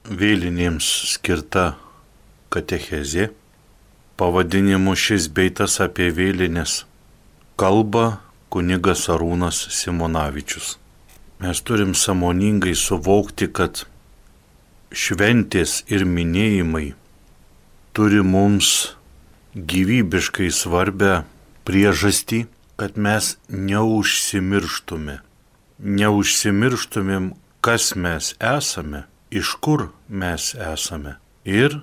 vėlinėms skirta katechezė, pavadinimu šis bei tas apie vėlinės, kalba kunigas Arūnas Simonavičius. Mes turim sąmoningai suvokti, kad šventės ir minėjimai turi mums gyvybiškai svarbę priežastį, kad mes neužsimirštumėm, kas mes esame, iš kur mes esame ir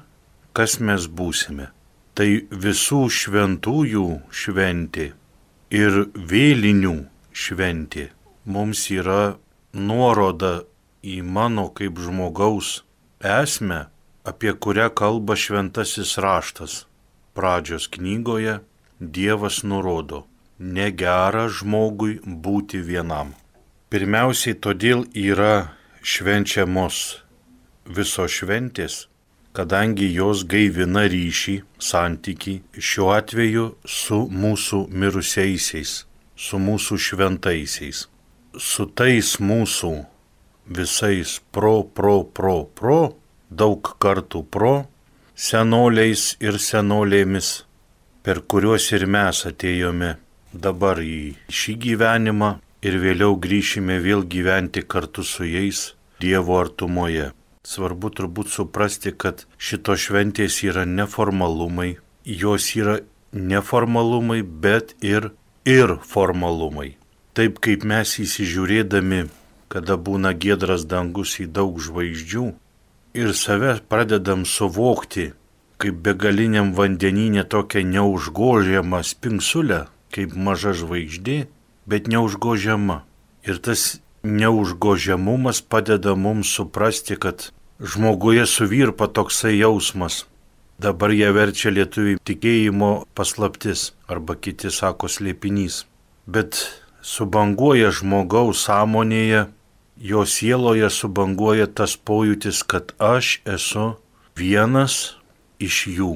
kas mes būsime. Tai visų šventųjų šventė ir vėlinių šventė mums yra nuoroda į mano kaip žmogaus esmę, apie kurią kalba šventasis raštas. Pradžios knygoje Dievas nurodo, negera žmogui būti vienam. Pirmiausiai todėl yra švenčiamos visos šventės, kadangi jos gaivina ryšį, santykį, šiuo atveju su mūsų mirusiaisiais, su mūsų šventaisiais, su tais mūsų visais daug kartų senoliais ir senolėmis, per kuriuos ir mes atėjome dabar į šį gyvenimą ir vėliau grįšime vėl gyventi kartu su jais Dievo artumoje. Svarbu turbūt suprasti, kad šitos šventės yra neformalumai, jos yra neformalumai, bet ir formalumai. Taip kaip mes įsižiūrėdami, kada būna giedras dangus į daug žvaigždžių, ir save pradedam suvokti kaip begaliniam vandenyne tokią neužgožiamą spingsulę, kaip maža žvaigždė, bet neužgožiama. Ir tas neužgožiamumas padeda mums suprasti, kad žmoguje suvirpa toksai jausmas. Dabar jie verčia lietuvių tikėjimo paslaptis, arba kiti sako slėpinys. Bet subanguoja žmogaus sąmonėje, jo sieloje subanguoja tas pojūtis, kad aš esu vienas iš jų,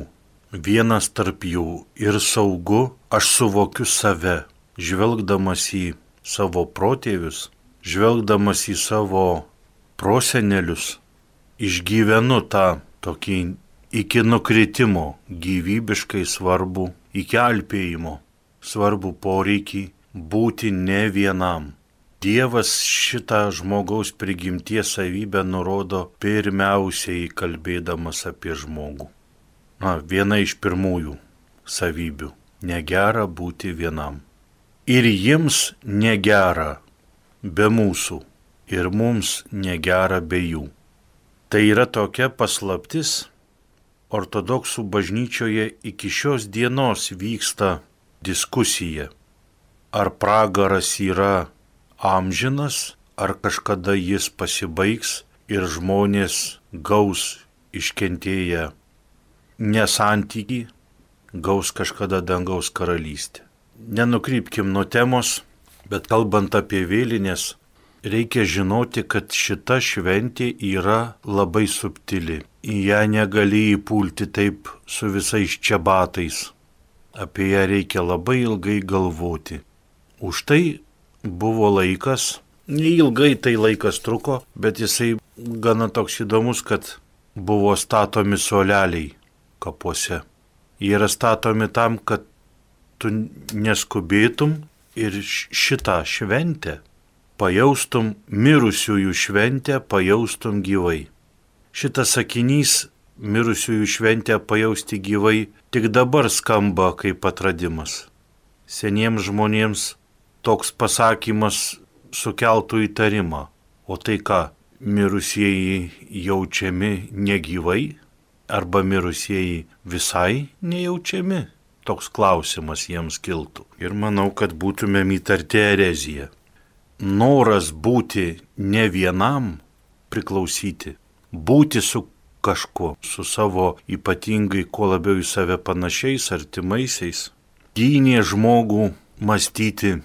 vienas tarp jų ir saugu, aš suvokiu save, žvelgdamas į savo protėvius, žvelgdamas į savo prosenelius, išgyvenu tą tokį iki nukritimo gyvybiškai svarbu, iki alpėjimo svarbu poreikį būti ne vienam. Dievas šitą žmogaus prigimties savybę nurodo pirmiausiai kalbėdamas apie žmogų. Viena iš pirmųjų savybių – negera būti vienam. Ir jiems negera be mūsų, ir mums negera be jų. Tai yra tokia paslaptis, ortodoksų bažnyčioje iki šios dienos vyksta diskusija, ar pragaras yra amžinas, ar kažkada jis pasibaigs ir žmonės gaus iškentėję nesantykį, gaus kažkada dangaus karalystę. Nenukrypkim nuo temos, bet kalbant apie vėlinės, reikia žinoti, kad šita šventė yra labai subtili. Į ją negali įpulti taip su visais čiabatais. Apie ją reikia labai ilgai galvoti. Už tai buvo laikas, neilgai tai laikas truko, bet jisai gana toks įdomus, kad buvo statomi suoleliai kapuose. Jie yra statomi tam, kad tu neskubėtum ir šitą šventę pajaustum, mirusiųjų šventę pajaustum gyvai. Šitas sakinys mirusiųjų šventę pajausti gyvai tik dabar skamba kaip atradimas. Seniems žmonėms toks pasakymas sukeltų įtarimą. O tai ką, mirusieji jaučiami negyvai? Arba mirusieji visai nejaučiami? Toks klausimas jiems kiltų. Ir manau, kad būtumėm įtarti ereziją. Noras būti ne vienam, priklausyti, būti su kažkuo, su savo ypatingai kuo labiau į save panašiais, artimaisiais, gynė žmogų mąstyti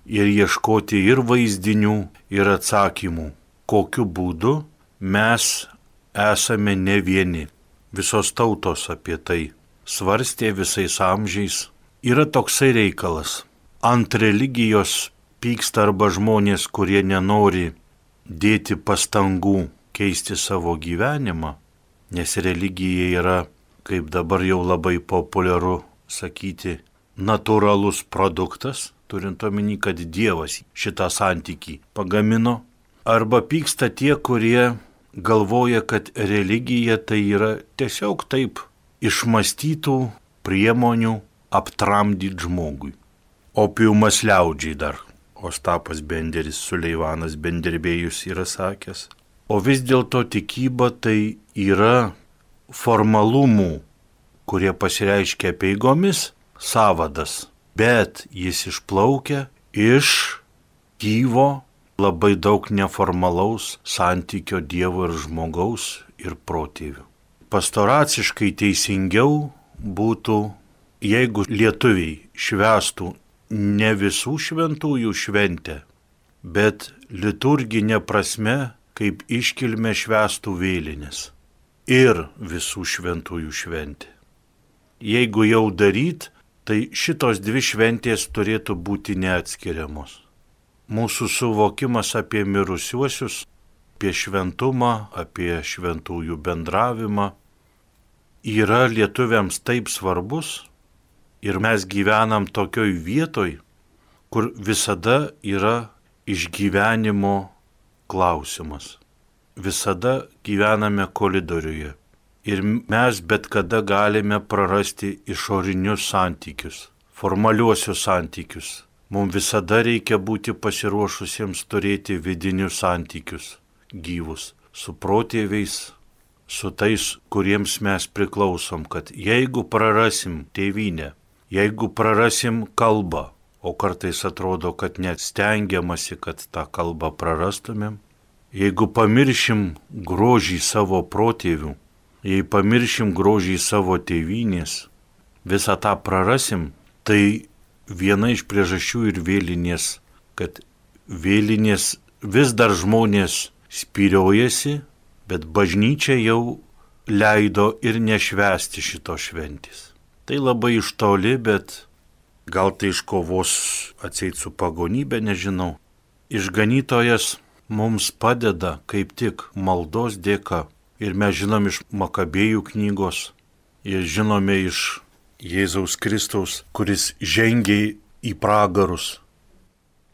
ir ieškoti ir vaizdinių, ir atsakymų, kokiu būdu mes esame ne vieni. Visos tautos apie tai svarstė visais amžiais. Yra toksai reikalas. Ant religijos pyksta arba žmonės, kurie nenori dėti pastangų keisti savo gyvenimą, nes religija yra, kaip dabar jau labai populiaru sakyti, natūralus produktas, turint omeny, kad Dievas šitą santykį pagamino, arba pyksta tie, kurie galvoja, kad religija tai yra tiesiog taip išmąstytų priemonių aptramdyti žmogui. Opiumas liaudžiai dar, Ostapas Benderis, Suleivanas Benderbėjus yra sakęs. O vis dėlto tikyba tai yra formalumų, kurie pasireiškia apeigomis, sąvadas, bet jis išplaukia iš gyvo, labai daug neformalaus santykio Dievo ir žmogaus ir protėvių. Pastoraciškai teisingiau būtų, jeigu lietuviai švęstų ne visų šventųjų šventę, bet liturginė prasme, kaip iškilmė švęstų vėlinės ir visų šventųjų šventė. Jeigu jau daryt, tai šitos dvi šventės turėtų būti neatskiriamos. Mūsų suvokimas apie mirusiuosius, apie šventumą, apie šventųjų bendravimą yra lietuviams taip svarbus ir mes gyvenam tokioj vietoj, kur visada yra išgyvenimo klausimas. Visada gyvename koridoriuje ir mes bet kada galime prarasti išorinius santykius, formaliuosius santykius. Mums visada reikia būti pasiruošusiems turėti vidinius santykius, gyvus, su protėviais, su tais, kuriems mes priklausom, kad jeigu prarasim tėvynę, jeigu prarasim kalbą, o kartais atrodo, kad net stengiamasi, kad tą kalbą prarastumėm, jeigu pamiršim grožį savo protėvių, jei pamiršim grožį savo tėvynės, visą tą prarasim, tai viena iš priežasčių ir vėlinės, kad vėlinės vis dar žmonės spyriojasi, bet bažnyčia jau leido ir nešvęsti šito šventės. Tai labai iš toli, bet gal tai iš kovos atseit su pagonybė, nežinau. Išganytojas mums padeda kaip tik maldos dėka. Ir mes žinom iš Makabėjų knygos, ir žinome iš Jėzaus Kristaus, kuris žengė į pragarus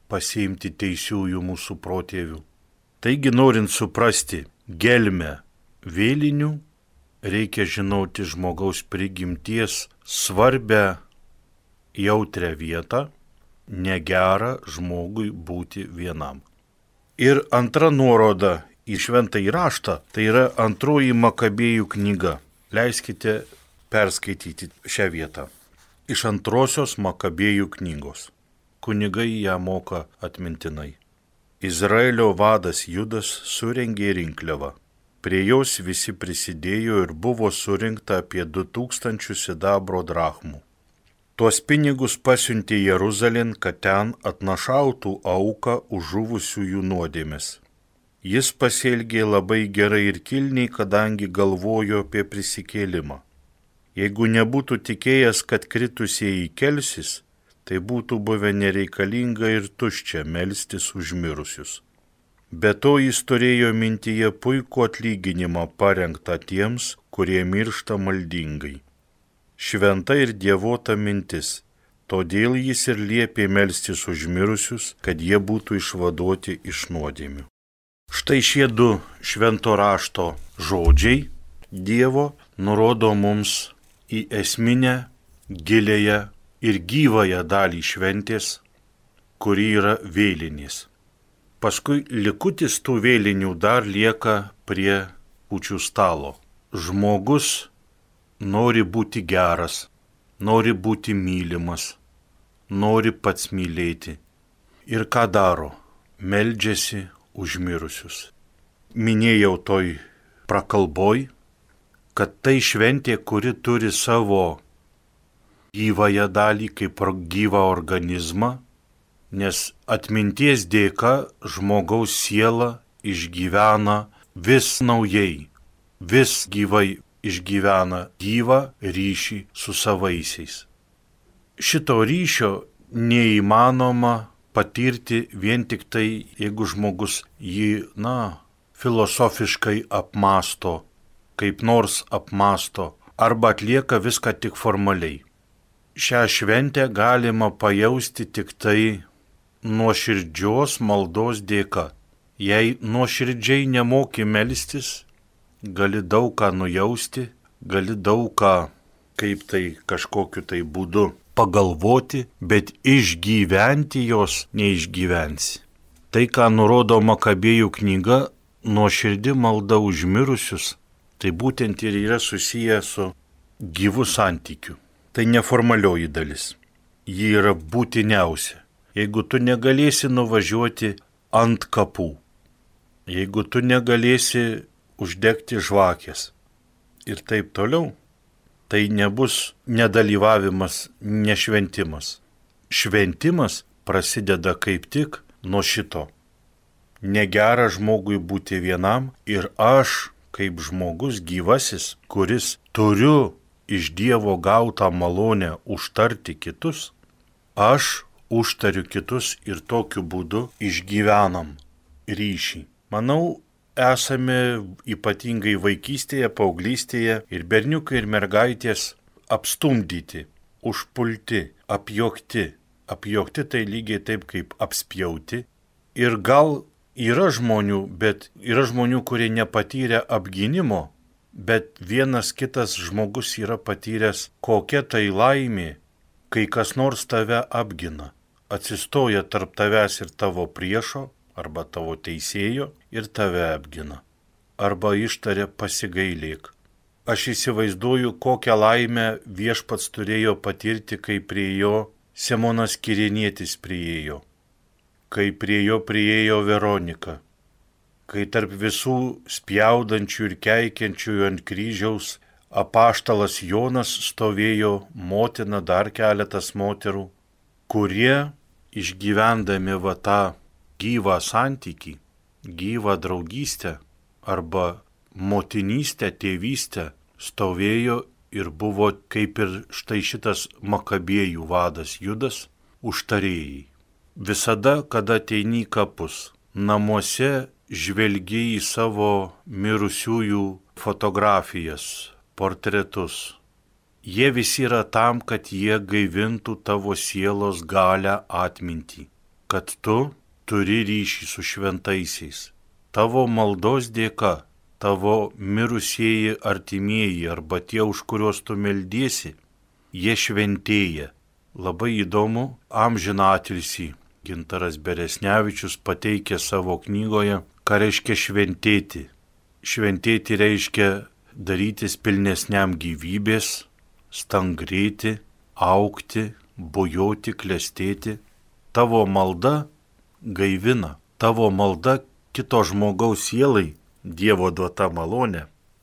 pasiimti teisiųjų mūsų protėvių. Taigi, norint suprasti gelmę vėlinių, reikia žinoti žmogaus prigimties svarbę jautrią vietą, negera žmogui būti vienam. Ir antra nuoroda į šventąjį raštą, tai yra antroji Makabėjų knyga. Leiskite perskaityti šią vietą. Iš antrosios Makabėjų knygos. Kunigai ją moka atmintinai. Izraelio vadas Judas surengė rinkliavą. Prie jos visi prisidėjo ir buvo surinkta apie 2000 sidabro drachmų. Tuos pinigus pasiuntė Jeruzalėn, kad ten atnašautų auką už žuvusiųjų nuodėmes. Jis pasielgė labai gerai ir kilniai, kadangi galvojo apie prisikėlimą. Jeigu nebūtų tikėjęs, kad kritusieji kelsis, tai būtų buvę nereikalinga ir tuščia melstis už mirusius. Be to jis turėjo mintyje puikų atlyginimą parengtą tiems, kurie miršta maldingai. Šventa ir dievota mintis, todėl jis ir liepė melstis už mirusius, kad jie būtų išvaduoti iš nuodėmių. Štai šie du švento rašto žodžiai Dievo nurodo mums į esminę, gilėją ir gyvąją dalį šventės, kuri yra vėlinės. Paskui likutis tų vėlinių dar lieka prie kūčių stalo. Žmogus nori būti geras, nori būti mylimas, nori pats mylėti. Ir ką daro? Meldžiasi už mirusius. Minėjau toj prakalboj, kad tai šventė, kuri turi savo gyvąją dalį kaip gyvą organizmą, nes atminties dėka žmogaus siela išgyvena vis naujai, vis gyvai išgyvena gyvą ryšį su savaisiais. Šito ryšio neįmanoma patirti vien tik tai, jeigu žmogus jį, filosofiškai apmąsto, kaip nors apmąsto, arba atlieka viską tik formaliai. Šią šventę galima pajausti tik tai nuoširdžios maldos dėka. Jei nuoširdžiai nemoki melstis, gali daug ką nujausti, gali daug ką, kaip tai kažkokiu tai būdu pagalvoti, bet išgyventi jos neišgyvensi. Tai, ką nurodo Makabėjų knyga, nuoširdi malda už mirusius, tai būtent ir yra susiję su gyvu santykiu. Tai neformalioji dalis. Ji yra būtiniausia. Jeigu tu negalėsi nuvažiuoti ant kapų, jeigu tu negalėsi uždegti žvakės ir taip toliau, tai nebus nedalyvavimas, nešventimas. Šventimas prasideda kaip tik nuo šito. Negera žmogui būti vienam ir aš, kaip žmogus gyvasis, kuris turiu iš Dievo gautą malonę užtarti kitus, aš užtariu kitus ir tokiu būdu išgyvenam ryšį. Manau, esame ypatingai vaikystėje, paauglystėje ir berniukai ir mergaitės apstumdyti, užpulti, apjuokti. Apjuokti tai lygiai taip kaip apspjauti. Ir gal yra žmonių, bet yra žmonių, kurie nepatyrė apgynimo, bet vienas kitas žmogus yra patyręs, kokia tai laimė, kai kas nors tave apgina, atsistoja tarp tavęs ir tavo priešo, arba tavo teisėjo ir tave apgina, arba ištaria pasigailėk. Aš įsivaizduoju, kokią laimę Viešpats turėjo patirti, kai prie jo Simonas Kirėnietis priėjo, kai prie jo priėjo Veronika, kai tarp visų spjaudančių ir keikiančiųjų ant kryžiaus apaštalas Jonas stovėjo, motina, dar keletas moterų, kurie išgyvendami va tą gyvą santykį, gyvą draugystę arba motinystę, tėvystę, stovėjo ir buvo kaip ir štai šitas Makabėjų vadas Judas, užtarėjai. Visada, kada ateini į kapus, namuose žvelgi į savo mirusiųjų fotografijas, portretus. Jie visi yra tam, kad jie gaivintų tavo sielos galią atmintį, kad tu turi ryšį su šventaisiais. Tavo maldos dėka, tavo mirusieji artimieji arba tie, už kuriuos tu meldiesi, jie šventėja. Labai įdomu, amžiną atilsį Gintaras Beresnevičius pateikė savo knygoje, ką reiškia šventėti. Šventėti reiškia darytis pilnesniam gyvybės, stangrėti, augti, bujoti, klestėti. Tavo malda gaivina, tavo malda kito žmogaus sielai, Dievo duota malonė,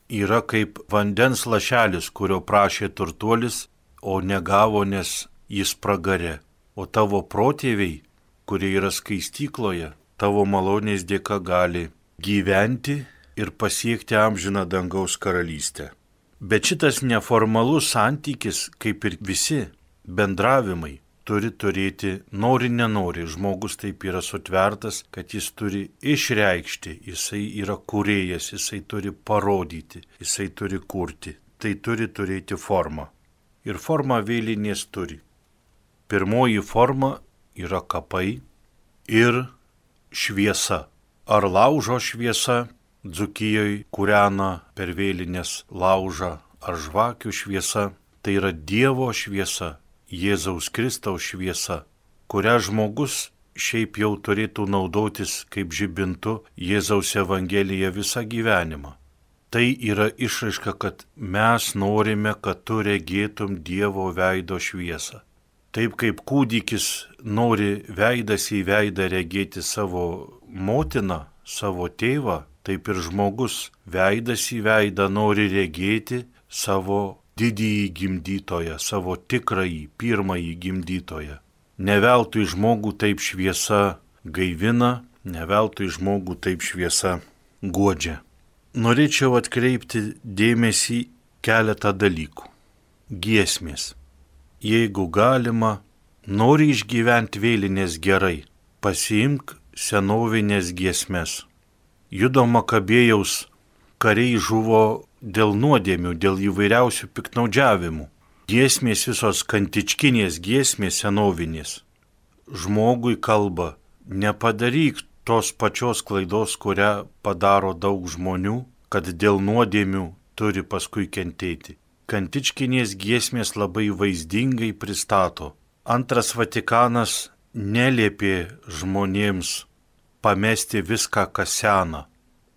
yra kaip vandens lašelis, kurio prašė turtuolis, o negavo, nes jis pragarė. O tavo protėviai, kurie yra skaistykloje, tavo malonės dėka gali gyventi ir pasiekti amžiną dangaus karalystę. Bet šitas neformalus santykis, kaip ir visi bendravimai, turi turėti, nori nenori, žmogus taip yra sutvertas, kad jis turi išreikšti, jisai yra kūrėjas, jisai turi parodyti, jisai turi kurti. Tai turi turėti formą. Ir formą vėlinės turi. Pirmoji forma yra kapai ir šviesa. Ar laužo šviesa, Dzūkijoje kūrena per vėlinės laužą, ar žvakių šviesa, tai yra Dievo šviesa, Jėzaus Kristaus šviesa, kurią žmogus šiaip jau turėtų naudotis kaip žibintu Jėzaus Evangelija visą gyvenimą. Tai yra išraiška, kad mes norime, kad tu regėtum Dievo veido šviesą. Taip kaip kūdikis nori veidas į veidą regėti savo motiną, savo tėvą, taip ir žmogus veidas į veidą nori regėti savo didįjį gimdytoją, savo tikrąjį, pirmąjį gimdytoją. Neveltui žmogų taip šviesa gaivina, neveltui žmogų taip šviesa guodžia. Norėčiau atkreipti dėmesį keletą dalykų. Giesmės. Jeigu galima, nori išgyventi vėlinės gerai, pasiimk senovinės giesmes. Judo Makabėjaus kariai žuvo dėl nuodėmių, dėl įvairiausių piktnaudžiavimų. Giesmės visos kantičkinės giesmės senovinės. Žmogui kalba, nepadaryk tos pačios klaidos, kurią padaro daug žmonių, kad dėl nuodėmių turi paskui kentėti. Kantičkinės giesmės labai vaizdingai pristato. Antras Vatikanas neliepė žmonėms pamesti viską, kas sena.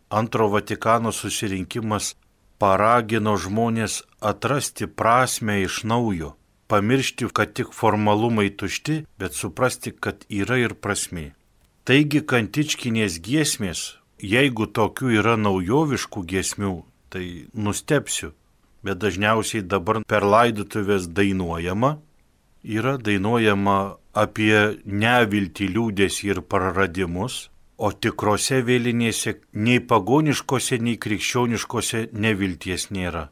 Antro Vatikano susirinkimas paragino žmonės atrasti prasmę iš naujo, pamiršti, kad tik formalumai tušti, bet suprasti, kad yra ir prasmė. Taigi kantičkinės giesmės, jeigu tokių yra naujoviškų giesmių, tai nustebsiu, bet dažniausiai dabar per laidotuvės dainuojama, yra dainuojama apie neviltį, liūdesį ir praradimus, o tikrose vėlinėse nei pagoniškose, nei krikščioniškose nevilties nėra.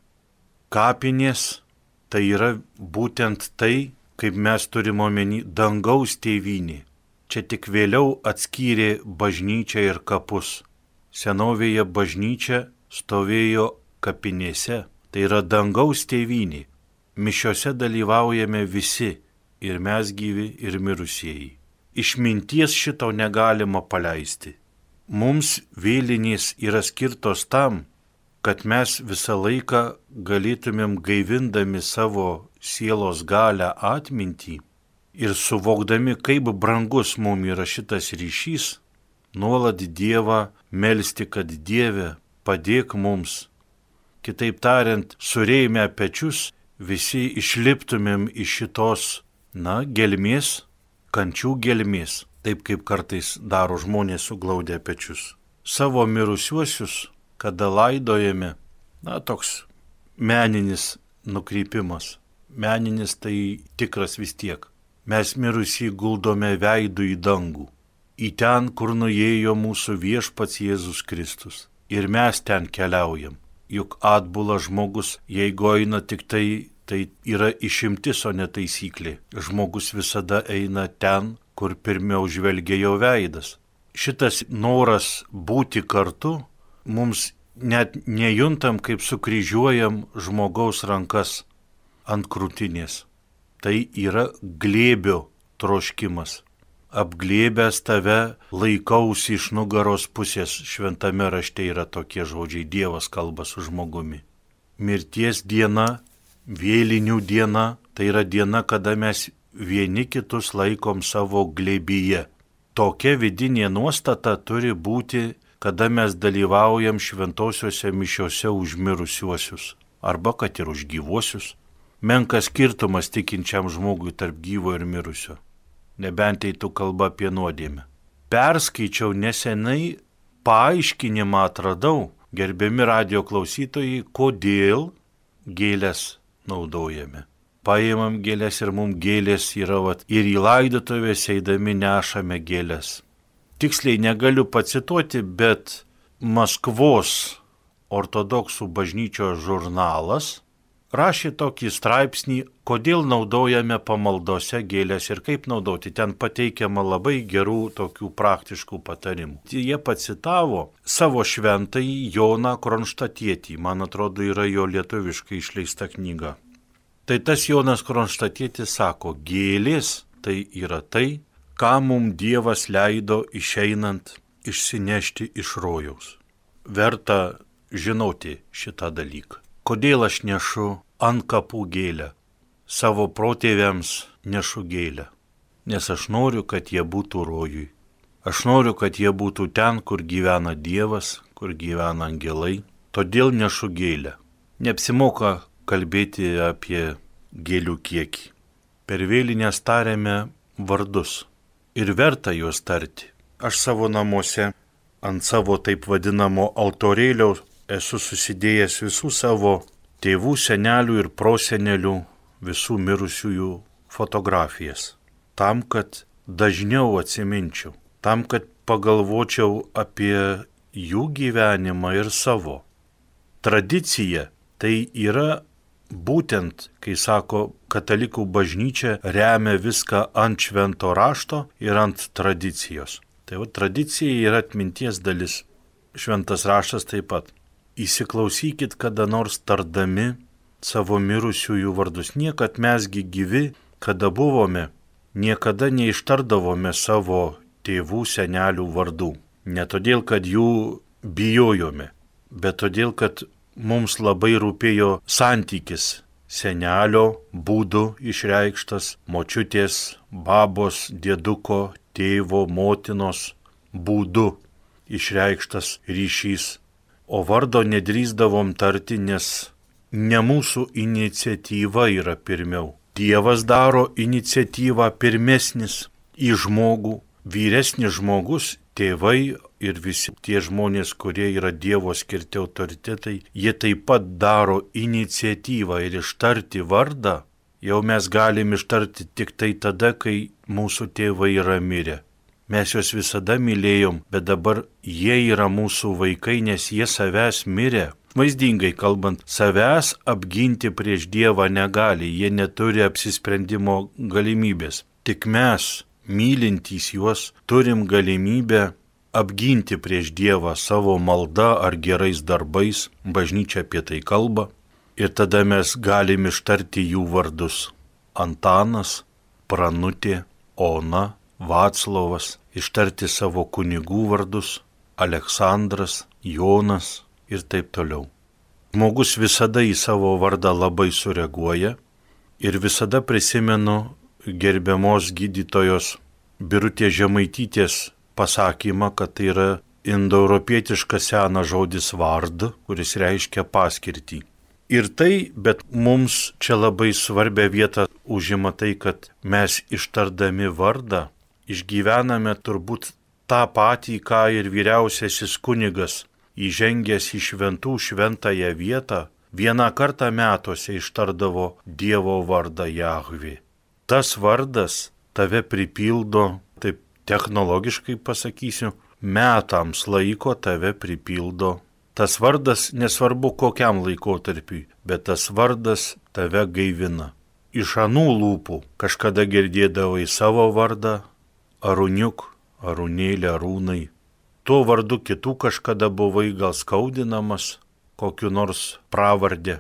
Kapinės tai yra būtent tai, kaip mes turime omeny, dangaus tėvynė. Čia tik vėliau atskyrė bažnyčią ir kapus. Senovėje bažnyčia stovėjo kapinėse. Tai yra dangaus tėvynė. Mišiose dalyvaujame visi, ir mes gyvi, ir mirusieji. Išminties šito negalima paleisti. Mums vėlinės yra skirtos tam, kad mes visą laiką galėtumėm gaivindami savo sielos galią atmintį ir suvokdami, kaip brangus mums yra šitas ryšys, nuolat Dievą melsti, kad Dieve padėk mums. Kitaip tariant, surėmę pečius, visi išliptumėm iš šitos, gelmės, kančių gelmės, taip kaip kartais daro žmonės suglaudę pečius. Savo mirusiuosius, kada laidojame, toks meninis nukrypimas. Meninis tai tikras vis tiek. Mes mirusį guldome veidų į dangų, į ten, kur nuėjo mūsų viešpats Jėzus Kristus. Ir mes ten keliaujam. Juk atbula žmogus, jeigu eina tik tai yra išimtis, o ne taisyklė. Žmogus visada eina ten, kur pirmiau žvelgia jo veidas. Šitas noras būti kartu, mums net nejuntam, kaip sukryžiuojam žmogaus rankas ant krūtinės. Tai yra glėbio troškimas. Apglėbęs tave laikausi iš nugaros pusės, šventame rašte yra tokie žodžiai, Dievas kalba su žmogumi. Mirties diena, vėlinių diena, tai yra diena, kada mes vieni kitus laikom savo glėbyje. Tokia vidinė nuostata turi būti, kada mes dalyvaujam šventosiuose mišiuose už mirusiuosius, arba kad ir už gyvuosius. Menkas skirtumas tikinčiam žmogui tarp gyvo ir mirusio. Nebent eitų kalba apie nuodėmę. Perskaičiau nesenai, paaiškinimą atradau, gerbiami radijo klausytojai, kodėl gėlės naudojame. Paimam gėlės ir mums gėlės yra, ir į laidotuvės eidami nešame gėlės. Tiksliai negaliu pacituoti, bet Maskvos ortodoksų bažnyčios žurnalas rašė tokį straipsnį, kodėl naudojame pamaldose gėlės ir kaip naudoti. Ten pateikiama labai gerų tokių praktiškų patarimų. Jie pacitavo savo šventąjį Joną Kronštatietį, man atrodo yra jo lietuviškai išleista knyga. Tai tas Jonas Kronštatietis sako, gėlės tai yra tai, ką mums Dievas leido išeinant išsinešti iš rojaus. Verta žinoti šitą dalyką. Kodėl aš nešu ant kapų gėlę? Savo protėviams nešu gėlę. Nes aš noriu, kad jie būtų rojui. Aš noriu, kad jie būtų ten, kur gyvena Dievas, kur gyvena angelai. Todėl nešu gėlę. Neapsimoka kalbėti apie gėlių kiekį. Per vėlinės tariame vardus. Ir verta juos tarti. Aš savo namuose ant savo taip vadinamo altorėlio esu susidėjęs visų savo tėvų, senelių ir prosenelių, visų mirusiųjų fotografijas. Tam, kad dažniau atsiminčiau, tam, kad pagalvočiau apie jų gyvenimą ir savo. Tradicija tai yra būtent, kai sako, katalikų bažnyčia remia viską ant švento rašto ir ant tradicijos. Tai tradicija yra atminties dalis. šventas raštas taip pat. Įsiklausykit kada nors tardami savo mirusiųjų vardus. Niekad mesgi gyvi, kada buvome, niekada neištardavome savo tėvų, senelių vardų. Ne todėl, kad jų bijojome, bet todėl, kad mums labai rūpėjo santykis senelio būdu išreikštas, močiutės, babos, dėduko, tėvo, motinos būdu išreikštas ryšys. O vardo nedrįsdavom tarti, nes ne mūsų iniciatyva yra pirmiau. Dievas daro iniciatyvą pirmesnis į žmogų. Vyresnis žmogus, tėvai ir visi tie žmonės, kurie yra Dievo skirti autoritetai, jie taip pat daro iniciatyvą ir ištarti vardą. Jau mes galim ištarti tik tai tada, kai mūsų tėvai yra mirę. Mes juos visada mylėjom, bet dabar jie yra mūsų vaikai, nes jie savęs mirė. Vaizdingai kalbant, savęs apginti prieš Dievą negali, jie neturi apsisprendimo galimybės. Tik mes, mylintys juos, turim galimybę apginti prieš Dievą savo maldą ar gerais darbais, bažnyčia apie tai kalba, ir tada mes galim ištarti jų vardus. Antanas, Pranutė, Ona, Vaclovas, ištarti savo kunigų vardus, Aleksandras, Jonas ir taip toliau. Žmogus visada į savo vardą labai sureaguoja ir visada prisimenu gerbiamos gydytojos Birutės Žemaitytės pasakymą, kad tai yra indoeuropietiškas senas žodis vard, kuris reiškia paskirtį. Ir tai, bet mums čia labai svarbią vietą užima tai, kad mes ištardami vardą išgyvename turbūt tą patį, ką ir vyriausiasis kunigas, įžengęs į šventų šventąją vietą, vieną kartą metuose ištardavo Dievo vardą Jahvė. Tas vardas tave pripildo, taip technologiškai pasakysiu, metams laiko tave pripildo. Tas vardas nesvarbu kokiam laikotarpiui, bet tas vardas tave gaivina. Iš anų lūpų kažkada girdėdavai savo vardą, Arūniuk, Arūnėlė, Arūnai. Tuo vardu kitų kažkada buvai gal skaudinamas, kokiu nors pravardė,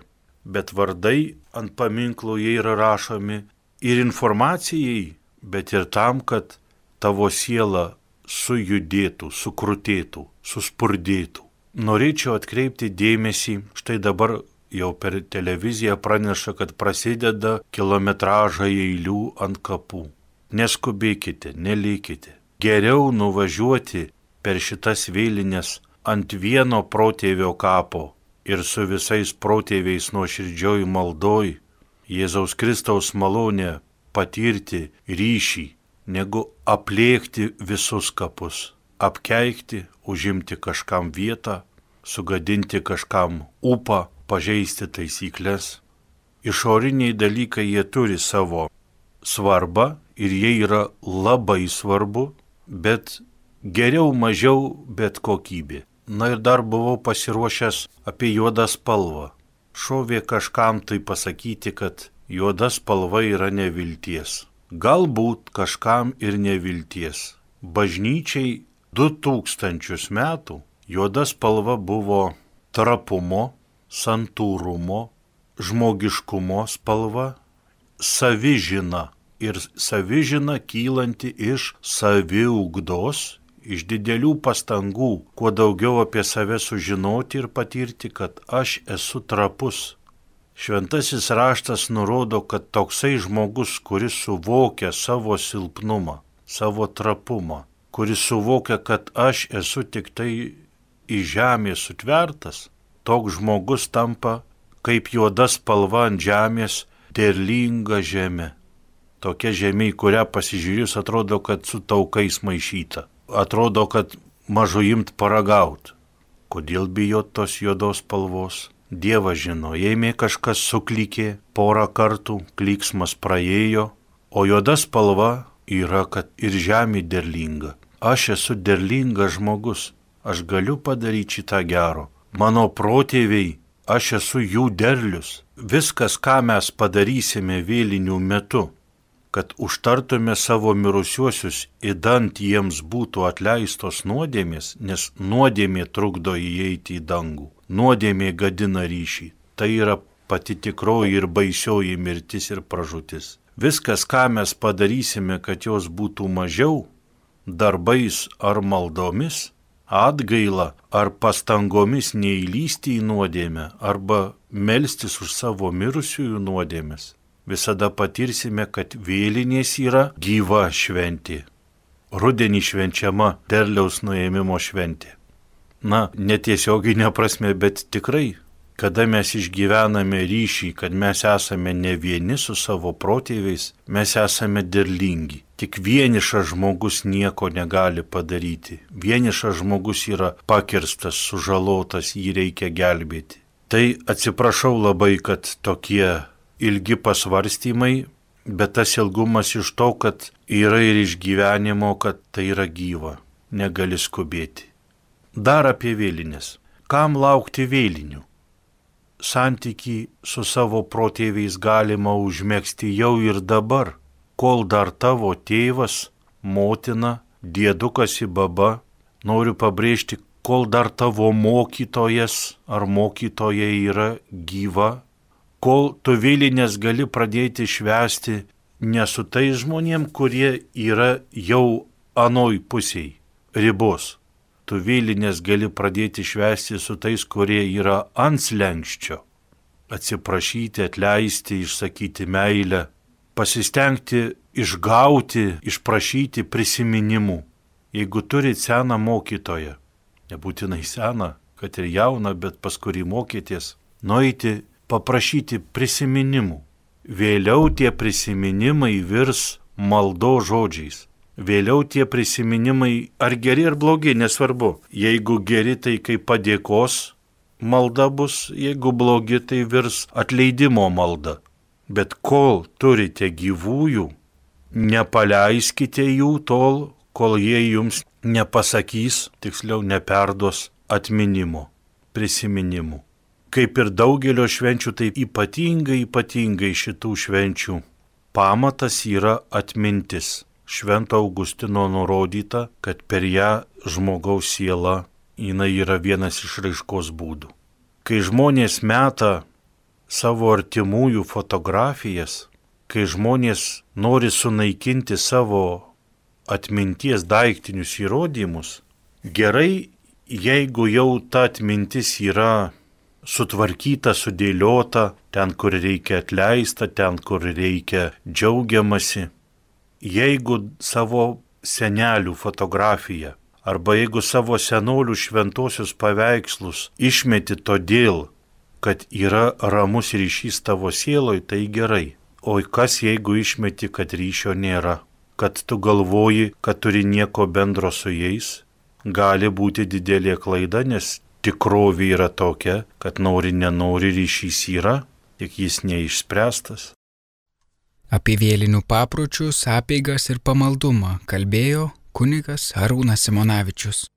bet vardai ant paminklų jie yra rašomi ir informacijai, bet ir tam, kad tavo siela sujudėtų, sukrutėtų, suspurdėtų. Norėčiau atkreipti dėmesį, štai dabar jau per televiziją praneša, kad prasideda kilometražai eilių ant kapų. Neskubėkite, nelėkite. Geriau nuvažiuoti per šitas vėlines ant vieno protėvio kapo ir su visais protėviais nuoširdžioj maldoj Jėzaus Kristaus malonę patirti ryšį, negu aplėkti visus kapus, apkeikti, užimti kažkam vietą, sugadinti kažkam ūpą, pažeisti taisyklės. Išoriniai dalykai jie turi savo svarbą ir jie yra labai svarbu, bet geriau mažiau, bet kokybė. Na ir dar buvau pasiruošęs apie juodą spalvą. Šovė kažkam tai pasakyti, kad juoda spalva yra nevilties. Galbūt kažkam ir nevilties. Bažnyčiai 2000 metų juoda spalva buvo trapumo, santūrumo, žmogiškumo spalva, savižina ir savižina kylanti iš saviugdos, iš didelių pastangų, kuo daugiau apie save sužinoti ir patirti, kad aš esu trapus. Šventasis raštas nurodo, kad toksai žmogus, kuris suvokia savo silpnumą, savo trapumą, kuris suvokia, kad aš esu tik tai į žemę sutvertas, toks žmogus tampa kaip juoda spalva ant žemės, derlinga žemė. Tokia žemė, į kurią pasižiūrėjus, atrodo, kad su taukais maišyta. Atrodo, kad mažu imt paragaut. Kodėl bijot tos juodos spalvos? Dievas žino, jei kažkas suklykė porą kartų, klyksmas praėjo, o juoda spalva yra, kad ir žemė derlinga. Aš esu derlingas žmogus, aš galiu padaryti šitą gero. Mano protėviai, aš esu jų derlius. Viskas, ką mes padarysime vėlinių metu, kad užtartume savo mirusiuosius, idant jiems būtų atleistos nuodėmės, nes nuodėmė trukdo įeiti į dangų. Nuodėmė gadina ryšį. Tai yra pati tikroji ir baisioji mirtis ir pražūtis. Viskas, ką mes padarysime, kad jos būtų mažiau, darbais ar maldomis, atgaila ar pastangomis neįlysti į nuodėmę arba melstis už savo mirusiųjų nuodėmes, visada patirsime, kad vėlinės yra gyva šventė. Rudenį švenčiama derliaus nuėmimo šventė. Netiesioginė prasme, bet tikrai, kada mes išgyvename ryšį, kad mes esame ne vieni su savo protėviais, mes esame derlingi. Tik vienišas žmogus nieko negali padaryti. Vienišas žmogus yra pakirstas, sužalotas, jį reikia gelbėti. Tai atsiprašau labai, kad tokie ilgi pasvarstymai, bet tas ilgumas iš to, kad yra ir išgyvenimo, kad tai yra gyva, negali skubėti. Dar apie vėlines. Kam laukti vėlinių? Santykį su savo protėviais galima užmegzti jau ir dabar, kol dar tavo tėvas, motina, diedukas ir baba, noriu pabrėžti, kol dar tavo mokytojas ar mokytoja yra gyva, kol tu vėlinės gali pradėti švęsti ne su tais žmonėm, kurie yra jau anoj pusėj ribos. Tu vėlinės gali pradėti švęsti su tais, kurie yra ant slenksčio. Atsiprašyti, atleisti, išsakyti meilę, pasistengti išgauti, išprašyti prisiminimų. Jeigu turit seną mokytoją, nebūtinai seną, kad ir jauną, bet pas kurį mokėties, nueiti paprašyti prisiminimų. Vėliau tie prisiminimai virs maldo žodžiais. Vėliau tie prisiminimai, ar geri ar blogi, nesvarbu. Jeigu geri, tai kaip padėkos malda bus, jeigu blogi, tai virs atleidimo malda. Bet kol turite gyvųjų, nepaleiskite jų tol, kol jie jums nepasakys, tiksliau neperduos atminimo, prisiminimų. Kaip ir daugelio švenčių, tai ypatingai šitų švenčių pamatas yra atmintis. Švento Augustino nurodyta, kad per ją žmogaus siela, jinai yra vienas iš raiškos būdų. Kai žmonės meta savo artimųjų fotografijas, kai žmonės nori sunaikinti savo atminties daiktinius įrodymus, gerai, jeigu jau ta atmintis yra sutvarkyta, sudėliota, ten, kur reikia atleista, ten, kur reikia džiaugiamasi. Jeigu savo senelių fotografiją arba jeigu savo senolių šventosius paveikslus išmeti todėl, kad yra ramus ryšys tavo sieloj, tai gerai. O kas jeigu išmeti, kad ryšio nėra, kad tu galvoji, kad turi nieko bendro su jais, gali būti didelė klaida, nes tikrovė yra tokia, kad nori nenori ryšys yra, tik jis neišspręstas. Apie vėlinių papročius, apeigas ir pamaldumą kalbėjo kunigas Arūnas Simonavičius.